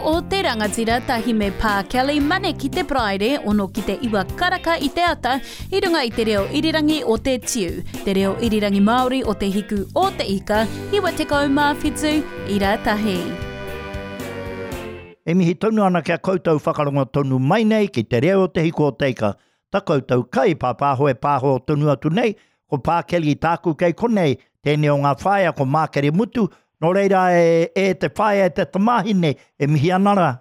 o te Rangatira tahi me Pā Kelly Mane ki te Paraire, ono ki te iwa karaka i te ata, i runga i te reo irirangi o te Tiu, te reo irirangi Māori o Te Hiku o Te Ika, 97 ira tahi. E mihi tonu ana ki a koutou whakarongo tonu mai nei ki te reo o Te Hiku o Te Ika, ta koutou kai pāpāho e pāho tonu atu nei, ko Pā Kelly tāku kei konei, tēnei o ngā whaea ko Mākere Mutu, nō reira e, e te whaea e te tamāhine e mihi ana rā.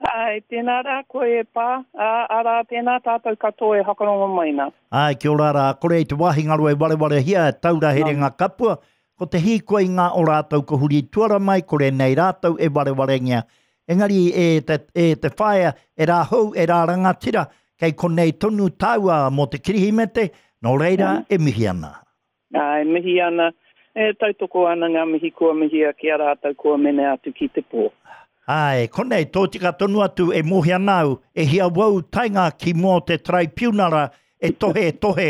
Āe, tēnā rā koe e Pā, ā, arā, tēnā tātou katoa e whakarongo mai nā. Āe, kia ora rā, kore i te wāhi ngaro e warewarehia e taura herenga kapua, ko te hīkoi ngā o rātou ko huri tuara mai, kore nei rātou e warewarengia. Engari e te, e te whaea, e rā hou, e rā rangatira, kei konei tonu tāua mō te Kirihimete, nō reira e mihi ana. Ā, e mihi ana, e tautoko ana ngā mihi kua mihia ki a rātou kua mene atu ki te pō. Āe, konei, tōtika tonu atu e mōhio ana au, e hia wou taenga ki mua o te taraipiunara e tohe, e tohe,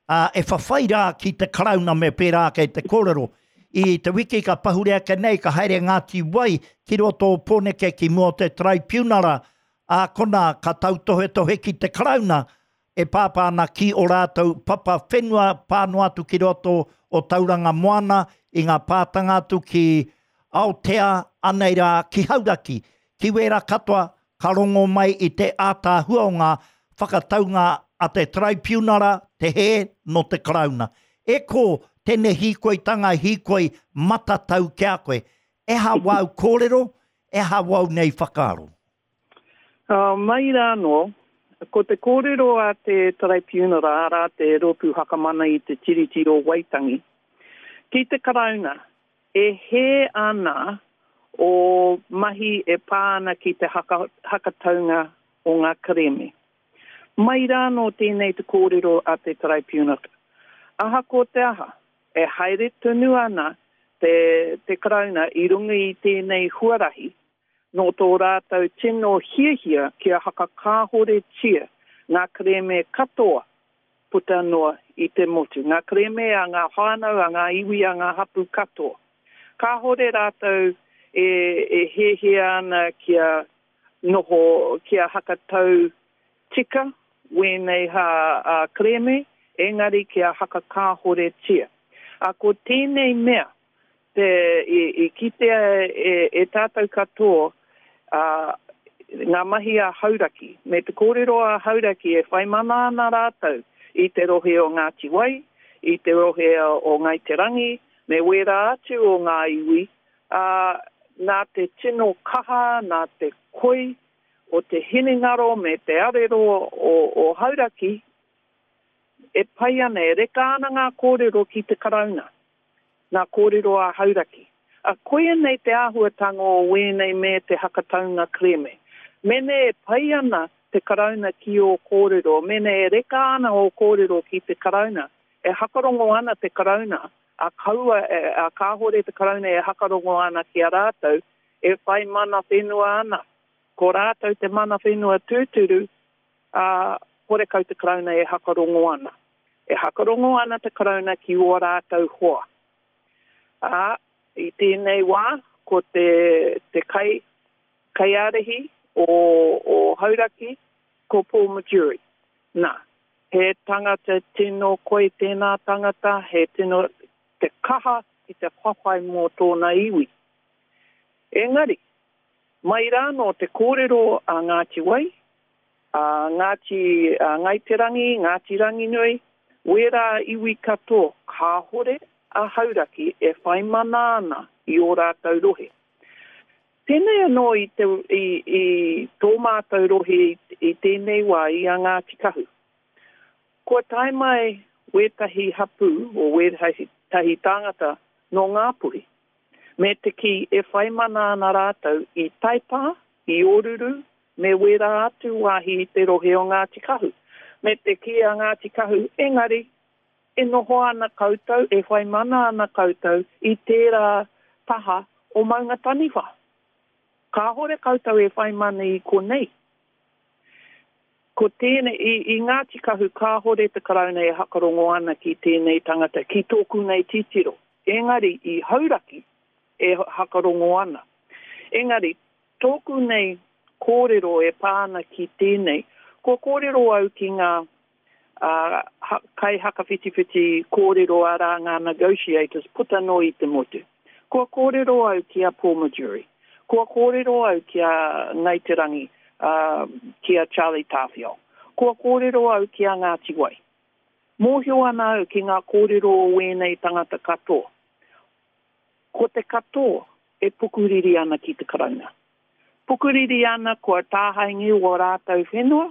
ā, e whawhai rā ki te Karauna me pērā ake te kōrero. I te wiki ka pahure ake nei, ka haere Ngāti Wai ki roto o Pōneke ki mua o te taraipiunara, ā, konā ka tautohetohe ki te Karauna, e pāpā ana ki ō rātou papa whenua pā noa atu ki roto o Tauranga Moana i ngā pātanga atu ki Aotea, anei rā ki Hauraki. Ki wērā katoa ka rongo mai i te ātaahua o ngā whakataunga a te Taraipiunara, te hē nō te Karauna. E kō, tēnei hīkoitanga hīkoi matatau ki a koe. E aha wāu kōrero, e aha wāu nei whakaaro? Mai rā anō, ko te kōrero a te Taraipiunara, arā te Rōpū Whakamana i te Tiriti o Waitangi, ki te Karauna, e hē ana ō mahi e pā ana ki te hakataunga o ngā kerēme. Mai rā anō tēnei te kōrero a te Taraipiunara. Ahakoa te aha, e haere tonu ana te Karauna i runga i tēnei huarahi Nō tō rātou tino hiahia kia hakakāhoretia ngā kerēme katoa puta noa i te motu, ngā kerēme a ngā whānau, a ngā iwi, a ngā hapū katoa. Kāhore rātou e hiahia ana kia noho, kia hakatau tika wēnei kerēme, engari kia hakakāhoretia. Ā, ko tēnei mea, Te, i, i kitea e, e tātou katoa, ā, ngā mahi a Hauraki, me te kōrero a Hauraki e whai mana ana rātou i te rohe o Ngāti Wai, i te rohe o Ngāi Te Rangi, me wērā atu o ngā iwi, ā, nā te tino kaha, nā te koi o te hinengaro me te arero o, o Hauraki, e pai ana, e reka ana ngā kōrero ki te Karauna. Ngā kōrero a Hauraki. A koia nei te āhuatanga o wēnei me te hakataunga kerēme. Mene e pai ana te Karauna ki ō kōrero, mene e reka ana ō kōrero ki te Karauna, e hakarongo ana te Karauna, a kaua, a kāhore te Karauna e hakarongo ana ki a rātou, e whai mana whenua ana. Ko rātou te mana whenua tūturu, ā, horekau te Karauna e hakarongo ana. E hakarongo ana te Karauna ki ō rātou hoa. Ā, i tēnei wā, ko te, te kai, kaiārahi o, o Hauraki, ko Paul Majurey. Nā, he tangata tino koi tēnā tangata, he tino te kaha ki te whawhai mō tōna iwi. Engari, Mai rānō te kōrero a Ngāti Wai, a Ngāti Ngāi Te Rangi, Ngāti Ranginui, wērā iwi katoa kāhore a Hauraki e whai mana ana i ō rātou rohe. Pēnei anō i te, i, i tō mātou rohe i, i tēnei wā i a Ngāti Kahu. Kua tae mai wētahi hapū o wētahi tāngata nō Ngāpuhi. Me te kī e whai mana ana rātou i Taipā, i Oruru, me wērā atu wāhi i te rohe o Ngāti Kahu. Me te kī a Ngāti Kahu, engari, e noho ana koutou, e whai mana ana koutou i tērā taha o Maungataniwha. Kāhore koutou e whai mana i konei. Ko tēnei, i, i Ngāti Kahu kāhore te Karauna e hakarongo ana ki tēnei tangata, ki tōku nei titiro. Engari i Hauraki e hakarongo ana. Engari, Tōku nei kōrero e pā ana ki tēnei, kua kōrero au ki ngā kaihakawhitiwhiti kōrero arā ngā negotiators puta noa i te motu. Kua kōrero au ki a Paul Majurey, kua kōrero au ki a Ngāi Te Rangi, ki a Charlie Tāwhiao, kua kōrero au ki a Ngāti Wai. Mōhio ana au ki ngā kōrero o ēnei tangata katoa. Ko te katoa e pukuriri ana ki te Karauna. Pukuriri ana kua tāhaengia wō rātou whenua,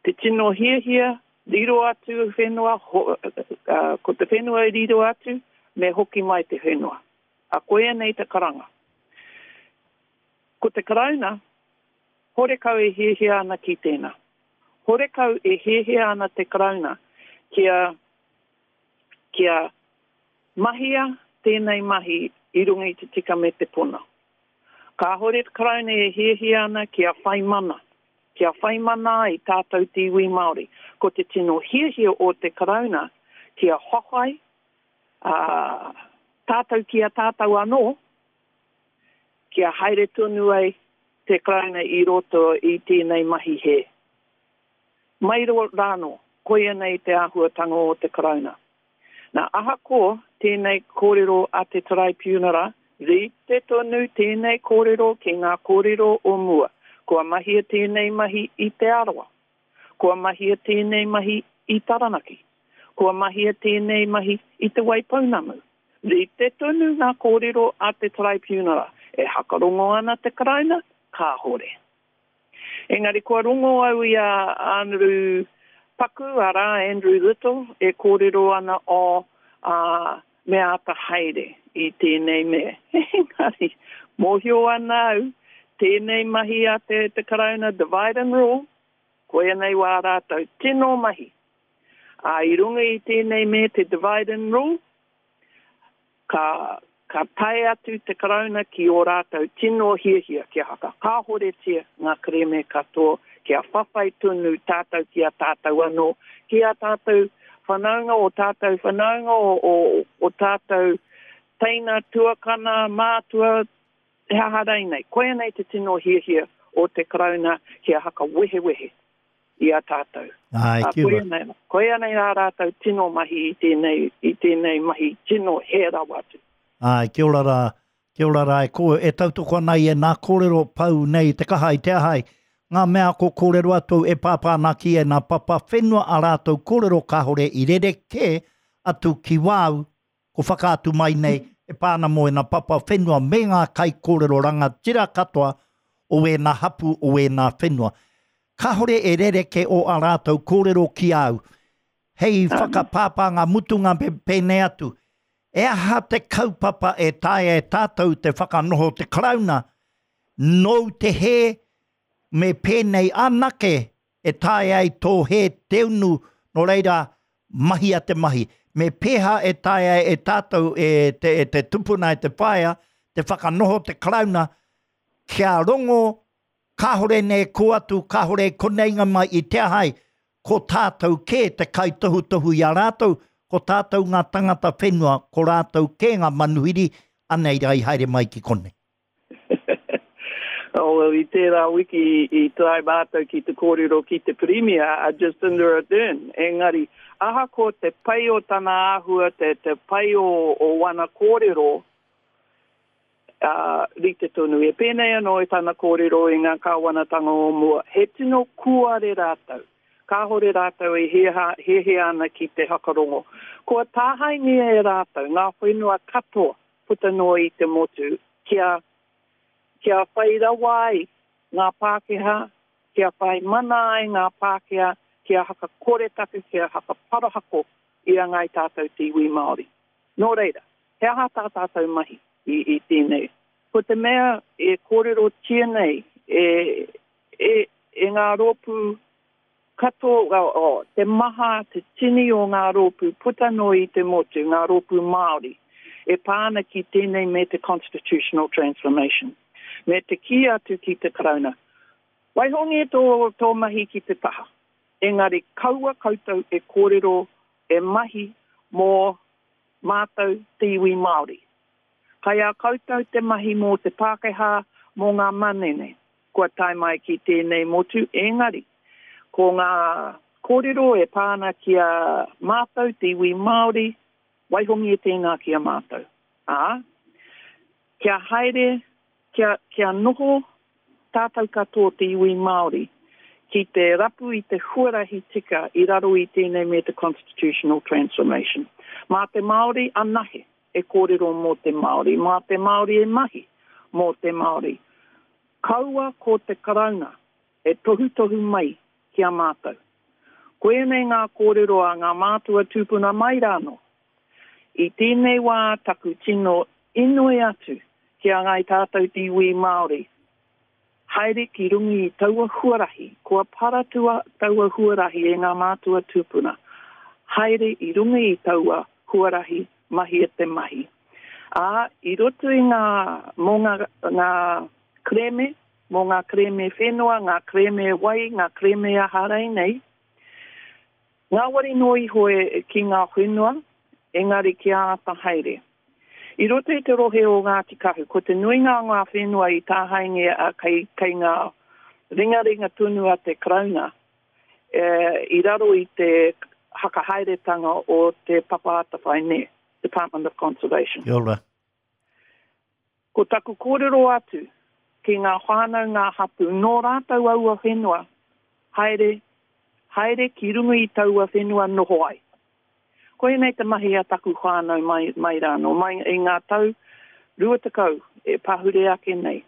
te tino hiahia, riro atu whenua, ho, ko te whenua i riro atu, me hoki mai te whenua. A koia nei te karanga. Ko te Karauna, horekau e hiahia ana ki tēnā. Horekau e hiahia ana te Karauna kia, kia Mahia tēnei mahi i runga i te tika me te pono. Kāhore te Karauna e hiahia ana kia whai mana, kia whai mana ai tātou te iwi Māori. Ko te tino hiahia o te Karauna kia whawhai, ā, tātou ki a tātou anō, kia haere tonu ai te Karauna i roto i tēnei mahi hē. Mai rānō, koia nei te āhuatanga o te Karauna. Nā, ahakoa tēnei kōrero a te Taraipiunara, rite tonu tēnei kōrero ki ngā kōrero o mua. Kua mahia tēnei mahi i Te Arawa. Kua mahia tēnei mahi i Taranaki. Kua mahia tēnei mahi i Te Waipounamu. Rite tonu ngā kōrero a te Taraipiunara. E hakarongo ana te Karauna? Kāhore. Engari kua rongo au i a Anaru Paku, arā, Andrew Little, e kōrero ana, oh, ā, me āta haere i tēnei mea. Engari, mōhio ana au, tēnei mahi a te, te Karauna divide and rule, koia nei wā rātou tino mahi. Ā, i runga i tēnei mea te divide and rule, Ka, ka tae atu te Karauna ki ō rātou tino hiahia kia whakakāhoretia ngā kerēme katoa, kia whawhai tonu tātou ki a tātou anō, ki ā tātou whanaunga, ō tātou whanaunga, o, o, o tātou teina, tuakana, mātua, he aha rainei. Koia nei te tino hiahia o te Karauna kia whakawehewehe i a tātou. Āe, kia ora. Koia nei, koia nei ā rātou tino mahi i tēnei, i tēnei mahi tino hē rawa atu. Āe, kia ora rā, kia ora rā e kō, e tautoko ana i ēnā kōrero pau nei te kaha i te aha ai, ngā mea ko kōrero atu e pāpā ana ki ēnā papa whenua ā rātou kōrero kāore i rerekē atu ki wāu ko whakaatu mai nei e pā ana mō ēnā papa whenua me ngā kaikōrero rangatira katoa o ēnā hapū o ēnā whenua. Kāore e rerekē o ā rātou kōrero ki a au. Hei whakapāpā ngā mutunga me pēnei atu, e aha te kaupapa e taea e tātou te whakanoho te Karauna, nōu te hē, me pēnei anake e taea ai tō hē te unu, nō reira, mahia te mahi. Me pēhā e taea ai e tātou, e te, e te tupuna, e te whaea, te whakanoho te Karauna, kia rongo, kāore nei e kō atu, kāore e koneinga mai i te aha ai, ko tātou kē te kaitohutohu i a rātou, ko tātou ngā tangata whenua, ko rātou kē ngā manuhiri, anei rā i haere mai ki konei. Oh, well, i tērā wiki i tae mātou ki te kōrero ki te Pirimia, a Jacinda Ardern. Engari, ahakoa te pai o tana āhua, te, te pai o, o wana kōrero, ā, rite tonu. E pēnei anō i tana kōrero i ngā kāwanatanga o mua, he tino kūare rātou. Kāhore rātou e hiahia ana ki te whakarongo. Kua tāhaengia e rātou ngā whenua katoa puta noa i te motu kia, kia whai rawa ai ngā Pākehā, kia whai mana ai ngā Pākehā, kia whakakoretake, kia whakaparahako i a Ngāi Tātou te iwi Māori. Nō reira, he aha tā tātou mahi i, i tēnei? Ko te mea e kōrerotia nei e, e, e ngā rōpū Katoa, oh, te maha, te tini o ngā rōpū puta noa i te motu, ngā rōpū Māori, e pā ana ki tēnei me te constitutional transformation. Me te kī atu ki te Karauna, waihongia tō, tō mahi ki te taha, engari kaua koutou e kōrero, e mahi mō mātou te iwi Māori. Kai a koutou te mahi mō te Pākehā, mō ngā manene kua tae mai ki tēnei motu, engari, ko ngā kōrero e pā ana ki a mātou te iwi Māori, waihongia tēnā ki a mātou. Ā, kia haere, kia, kia noho tātou katoa te iwi Māori ki te rapu i te huarahi tika i raro i tēnei me te constitutional transformation. Mā te Māori anahe e kōrero mō te Māori, mā te Māori e mahi mō te Māori. Kaua ko te Karauna e tohutohu mai ki a mātou. Koianei ngā kōrero a ngā mātua tūpuna mai rānō. I tēnei wā taku tino inoi atu ki a Ngāi Tātou te iwi Māori, haere ki runga i taua huarahi, kua paratua taua huarahi e ngā mātua tūpuna, haere i runga i taua huarahi, mahia te mahi. Ā, i roto i ngā, mō ngā, ngā kerēme, mō ngā kerēme whenua, ngā kerēme wai, ngā kerēme aha reinei, ngāwari noa iho e, ki ngā whenua, engari kia āta haere. I roto i te rohe o Ngāti Kahu, ko te nuinga o ngā whenua i tāhaengia a kei, kei ngā ringaringa tonu a te Karauna, e, i raro i te hakahaeretanga o te Papa Atawhai nē, Department of Conservation. Kia ora. Ko taku kōrero atu ki ngā whānau ngā hapū nō rātou aua whenua, haere, haere ki runga i taua whenua noho ai. Koinei te mahi a taku whānau mai, mai rānō, mai i ngā tau 20 e pahure ake nei.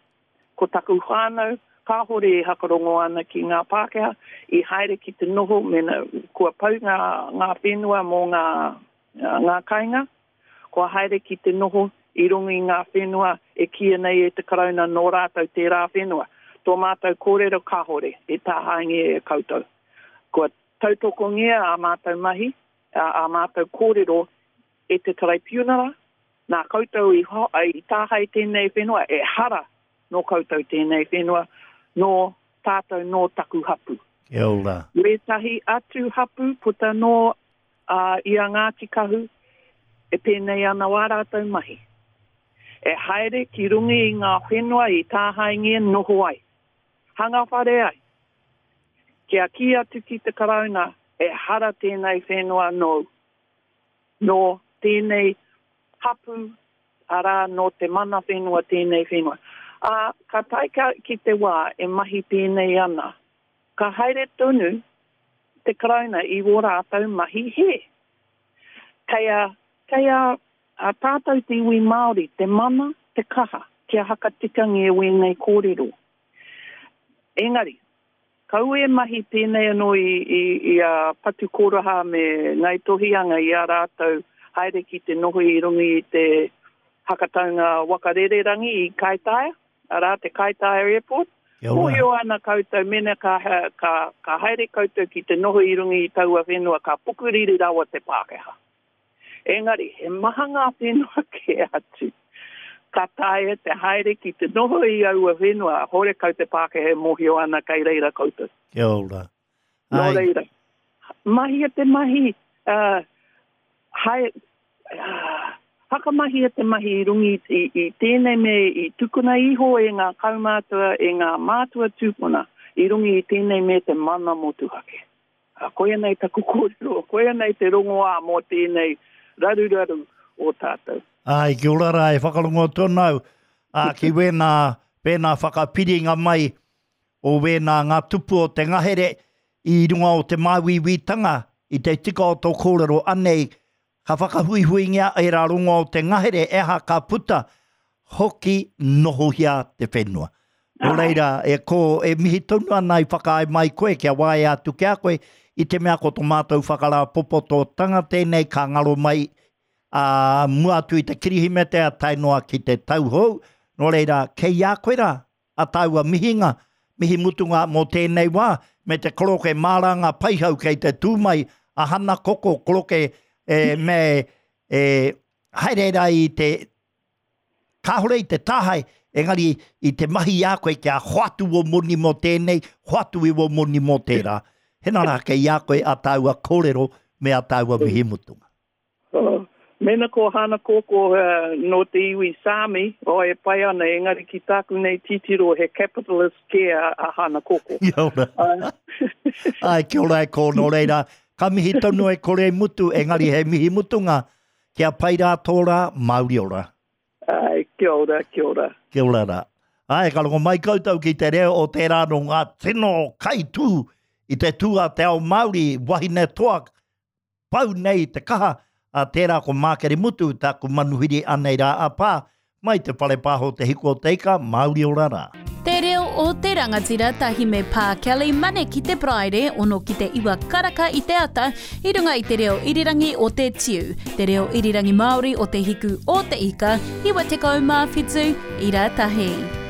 Ko taku whānau kāhore e hakarongo ana ki ngā Pākehā, i haere ki te noho mena kua pau ngā, ngā whenua mō ngā, ngā kāinga, Kua haere ki te noho i runga i ngā whenua e kīia nei e te Karauna nō rātou tērā whenua. Tō mātou kōrero kāhore e tāhaengia e koutou. Kua tautokongia ā mātou mahi, ā mātou kōrero e te Taraipiunara, nā koutou i tāhae tēnei whenua, ehara nō koutou tēnei whenua, nō tātou nō taku hapū. Kia ora. Wētahi atu hapū puta noa Ā, i a Ngāti Kahu, e pēnei ana wā rātou mahi. E haere ki runga i ngā whenua i tāhaengia noho ai, hanga whare ai. Kia kī atu ki te Karauna, ehara tēnei whenua nōu, nō tēnei hapū, arā, nō te mana whenua tēnei whenua. Ā, ka tae ki te wā e mahi pēnei ana, ka haere tonu te Karauna i wō rātou mahi hē. Kei a, kei a, a tātou te iwi Māori te mana, te kaha kia hakatikangia wēnei kōrero. Engari, kaua e mahi pēnei anō i, i, i a Patu Koraha me Ngāi Tohianga i a rātou haere ki te noho i runga i te hakataunga waka rererangi i Kaitaia. arā, te Kaitaia Airport. Mōhio ana koutou mena ka, ka, ka haere koutou ki te noho i runga i taua whenua ka pukuriri rawa te Pākehā. Engari, he maha ngā whenua kē atu ka taea te haere ki te noho i aua whenua, horekau te Pākehā e mōhio ana kei reira koutou. Kia ora. Nō reira, mahia te mahi, uh, hae, uh, whakamahia te mahi i runga i, i, i tēnei me i tukuna iho e ngā kaumātua, e ngā mātua tūpuna i runga i tēnei me te mana motuhake. Uh, koia nei taku kōrero, koia nei te rongoā mō tēnei raruraru o tātou. Ai, kia ora rā, e whakarongo atu ana au, ā, ki wēnā, wēnā whakapiringa mai o wēnā ngā tupu o te ngahere i runga o te māuiuitanga i te tika o tō kōrero anei ka whakahuihuingia ērā rongoa o te ngahere e aha ka puta hoki nohohia te whenua. Nō reira, e kō, e mihi tonu ana i whakaae mai koe kia waea atu ki a koe i te mea ko tō mātou whakarāpopototanga tēnei ka ngaro mai ā mua atu i te Kirihimete a tae noa ki te tau hou. Nō reira, kei a koe rā a tāua mihinga, mihi mutunga mō tēnei wā, me te koroke māranga paihau kei te tū mai a Hana Koko koroke e, me e, haere rā i te, kāore i te tāhae, engari i te mahi i a koe kia hoatu wō moni mō tēnei, hoatu i wō moni mō tērā. Hena rā kei a koe a tāua kōrero me a tāua mihi mutunga. Oh, Mēnā ko Hana Koko nō te iwi Sāmi, oh, e pai ana, engari ki tāku nei titiro he capitalist kē a Hana Koko. Kia ora. Ai, kia ora e kō, nō reira, ka mihi tonu e kore e mutu, engari he mihi mutunga, kia pai rā tō rā, mauri ora. Ai, kia ora, kia ora. Kia ora rā. Ai, ka rongo mai koutou ki te reo o tērā nō ngā tino kaitū i te tū a te ao Māori, wahine toa, pau nei te kaha, a tērā ko Mākere Mutu, tāku manuhiri anei rā a Pā, mai te whare pāho Te Hiku o Te Ika, Māori ora rā. Te reo o te rangatira tahi me Pā Kelly Mane ki te Paraire, ono ki te iwa karaka i te ata, i runga i te reo irirangi o Te Tiu, te reo irirangi Māori o Te Hiku o Te Ika, 97 ira tahi.